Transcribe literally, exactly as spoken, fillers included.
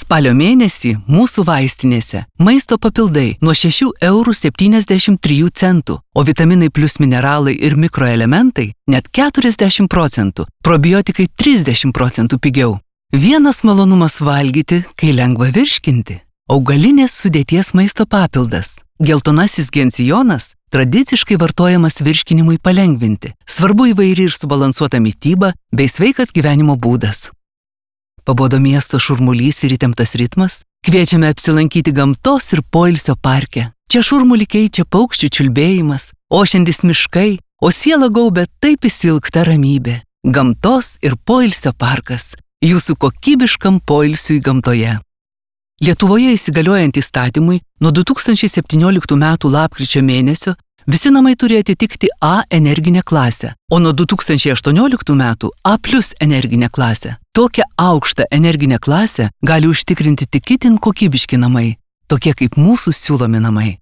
Spalio mėnesį mūsų vaistinėse maisto papildai nuo šešių eurų septyniasdešimt trijų centų, o vitaminai plus mineralai ir mikroelementai net keturiasdešimt procentų, probiotikai trisdešimt procentų pigiau. Vienas malonumas valgyti, kai lengva virškinti. Augalinės sudėties maisto papildas. Geltonasis gensijonas tradiciškai vartojamas virškinimui palengvinti. Svarbu įvairi ir subalansuota mityba bei sveikas gyvenimo būdas. Pabodo miesto šurmulys ir įtemptas ritmas? Kviečiame apsilankyti gamtos ir poilsio parke. Čia šurmulį keičia paukščių čiulbėjimas, ošiantys miškai, o sielą gaubia taip įsilgta ramybė. Gamtos ir poilsio parkas. Jūsų kokybiškam poilsiui gamtoje. Lietuvoje įsigaliojant įstatymui nuo du tūkstančiai septynioliktų metų lapkričio mėnesio visi namai turi atitikti A energinę klasę, o nuo du tūkstančiai aštuonioliktų metų A plus energinę klasę. Tokią aukštą energinę klasę gali užtikrinti tik itin kokybiški namai, tokie kaip mūsų siūlomi namai.